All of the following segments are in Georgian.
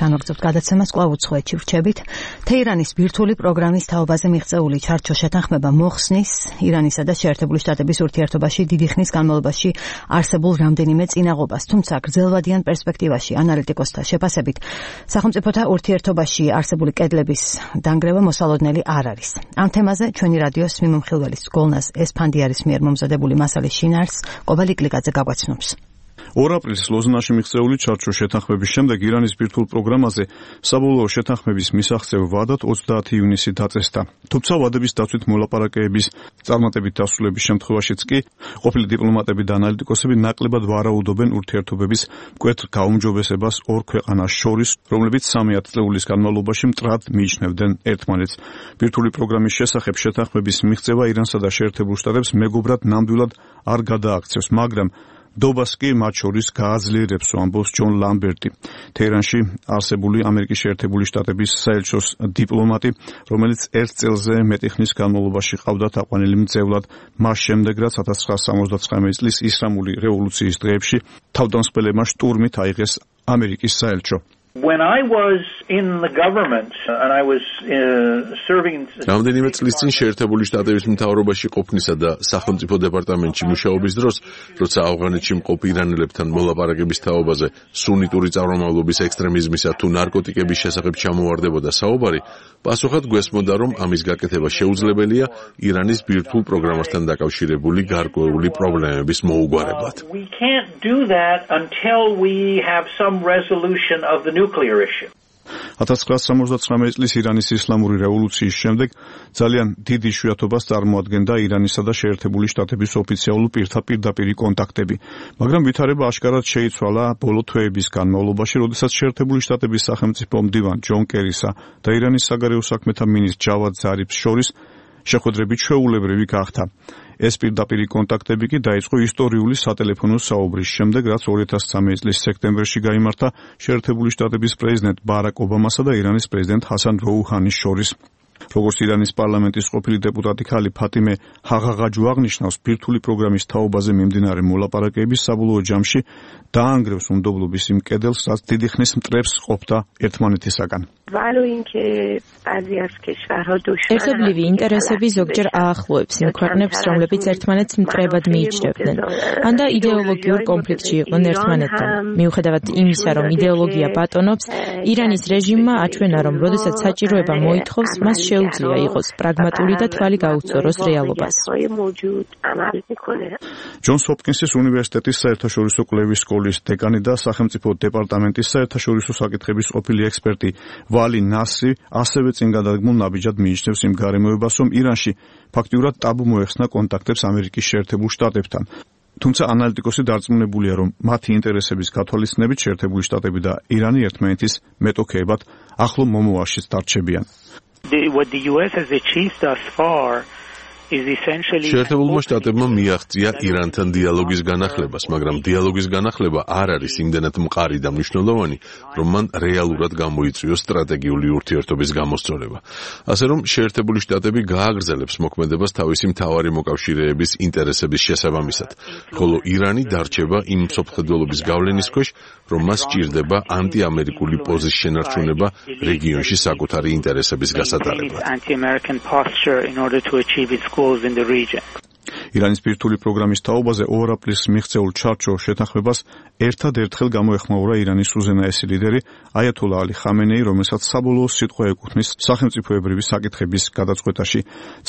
განვაგრძობთ გადაცემას კვლავ უცხოეთში ვრჩებით. თეირანის ბირთვული პროგრამის თაობაზე მიღწეული ჩარჩო შეთანხმება მოხსნის ირანისა და შეერთებული შტატების ურთიერთობაში დიდი ხნის განმავლობაში არსებულ რამდენიმე წინაღობას, თუმცა გრძელვადიან პერსპექტივაში ანალიტიკოსთა შეფასებით სახელმწიფოთა ურთიერთობაში არსებული კედლების დანგრევა მოსალოდნელი არ არის. ამ თემაზე ჩვენი რადიოს მიმომხილველის გოლნას ესფანდიარის მიერ მომზადებული მასალის შინაარსს კობალი კლიკაძე გაგვაცნობს. 2 აპრილის ლოზნაში მიღწეული ჩარჩო შეთანხმების შემდეგ ირანის ბირთვულ პროგრამაზე საბოლოო შეთანხმების მისაღწევ ვადად 30 ივნისი დაწესდა. თუმცა ვადების დაცვით მოლაპარაკებების წარმატებით დასრულების შემთხვევაშიც კი ყოფილი დიპლომატები და ანალიტიკოსები ნაკლებად ვარაუდობენ ურთიერთობების მკვეთრ გაუმჯობესებას ორ ქვეყანას შორის, რომლებიც 3 ათწლეულის განმავლობაში მტრად მიიჩნევდნენ ერთმანეთს. ბირთვული პროგრამის შესახებ შეთანხმების მიღწევა ირანსა და შეერთებულ შტატებს მეგობრად ნამდვილად არ გადააქცევს, მაგრამ დობას კი მათ შორის გააძლიერებს, ამბობს ჯონ ლამბერტი, თეირანში არსებული ამერიკის შეერთებული შტატების საელჩოს დიპლომატი, რომელიც 1 წელზე მეტი ხნის განმავლობაში ყავდა თაყვანილი მძევლად, მას შემდეგ რაც 1979 წლის ისლამური რევოლუციის დღეებში თავდამსხმელებმა შტურმით აიღეს ამერიკის საელჩო. When I was in the government and I was serving რამდენიმე წლის წინ შეერთებული შტატების მთავრობაში ყოფნისა და სახელმწიფო დეპარტამენტში მუშაობის დროს, როცა ავღანეთში მყოფ ირანელებთან მოლაპარაკების თაობაზე სუნიტური წარმომავლობის ექსტრემიზმისა თუ ნარკოტიკების შესახებ ჩამოვარდებოდა საუბარი, პასუხად გვესმოდა, რომ ამის გაკეთება შეუძლებელია ირანის ბირთვულ პროგრამასთან დაკავშირებული გარკვეული პრობლემების მოუგვარებლად. We can't do that until we have some resolution of the nuclear issue. 1979 წლის ირანის ისლამური რევოლუციის შემდეგ ძალიან დიდ იშვიათობას წარმოადგენდა ირანისა და შეერთებული შტატების ოფიციალურ პირდაპირ კონტაქტები, მაგრამ ვითარება აშკარად შეიცვალა ბოლო თვეების განმავლობაში, როდესაც შეერთებული შტატების სახელმწიფო მდივან ჯონ კერისა და ირანის საგარეო საქმეთა მინისტრ ჯავად ზარიფს შორის შეხვედრები ჩვეულებრივი გახდა. ეს პირდაპირი კონტაქტები კი დაიწყო ისტორიული სატელეფონო საუბრის შემდეგ, რაც 2013 წლის სექტემბერში გაიმართა შეერთებული შტატების პრეზიდენტ ბარაკ ობამასა და ირანის პრეზიდენტ ჰასან როუჰანის შორის. როგორც ირანის პარლამენტის ყოფილი დეპუტატი ქალი ფატიმე ჰაღაღაჯუ აღნიშნავს, ბირთვული პროგრამის თაობაზე მიმდინარე მოლაპარაკებების საბოლოო ჯამში დაანგრევს უნდობლობის იმ კედელს, რაც დიდი ხნის მტრებს ყოფდა ერთმანეთისაგან. ერთობლივი ინტერესები ზოგჯერ აახლოებს იმ ქვეყნებს, რომლებიც ერთმანეთს მტრებად მიიჩნევდნენ, ან და იდეოლოგიურ კონფლიქტში იყვნენ ერთმანეთთან. მიუხედავად იმისა, რომ იდეოლოგია ბატონობს, ირანის რეჟიმმა აჩვენა, რომ როდესაც საჭიროება მოითხოვს, მას შეუძლია იყოს პრაგმატული და თვალი გაუწოროს რეალობას. ჯონს ჰოპკინსის უნივერსიტეტის საერთაშორისო კვლევის სკოლის დეკანი და სახელმწიფო დეპარტამენტის საერთაშორისო საკითხების ყოფილი ექსპერტი ვალი ნასრი ასევე წინ გადადგმულ ნაბიჯად მიიჩნევს იმ გარემოებას, რომ ირანში ფაქტიურად ტაბუ მოეხსნა კონტაქტებს ამერიკის შეერთებულ შტატებთან. თუმცა ანალიტიკოსი დარწმუნებულია, რომ მათი ინტერესების გათვალისწინებით შეერთებული შტატები და ირანი ერთმანეთის მეტოქეებად ახლო მომავალშიც დარჩებიან. What the US has achieved thus far is essentially შეერთებულმა შტატებმა მიაღწია ირანთან დიალოგის განახლებას, მაგრამ დიალოგის განახლება არ არის იმდენად მყარი და მნიშვნელოვანი, რომ მან რეალურად გამოიწვიოს სტრატეგიული ურთიერთობის გამოსწორება. ასე რომ შეერთებული შტატები გააგრძელებს მოქმედებას თავისი მთავარი მოკავშირეების ინტერესების შესაბამისად, ხოლო ირანი დარჩება იმ მსოფლმხედველობის გავლენის ქვეშ, რომ მას სჭირდება ანტიამერიკული პოზის შენარჩუნება რეგიონში საკუთარი ინტერესების გასატარებლად. in the region. ირანის ბირთვული პროგრამის თაობაზე 2 აპრილს მიღწეულ ჩარჩო შეთანხმებას ერთადერთხელ გამოეხმაურა ირანის უზენაესი ლიდერი აიათოლა ალი ხამენეი, რომელსაც საბოლოო სიტყვა ეკუთვნის სახელმწიფოებრივი საკითხების გადაწყვეტაში.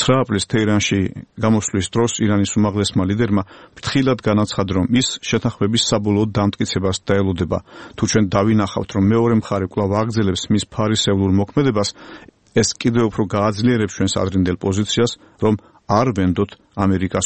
9 აპრილს თეირანში გამოსვლის დროს ირანის უმაღლესმა ლიდერმა ფრთხილად განაცხადა, რომ ის შეთანხმების საბოლოო დამტკიცებას დაელოდება. თუ ჩვენ დავინახავთ, რომ მეორე მხარე კვლავ აგრძელებს მის ფარისევლურ მოქმედებას, ეს კიდევ უფრო გააძლიერებს ჩვენს ადრინდელ პოზიციას, რომ არ ვენდოთ ამერიკას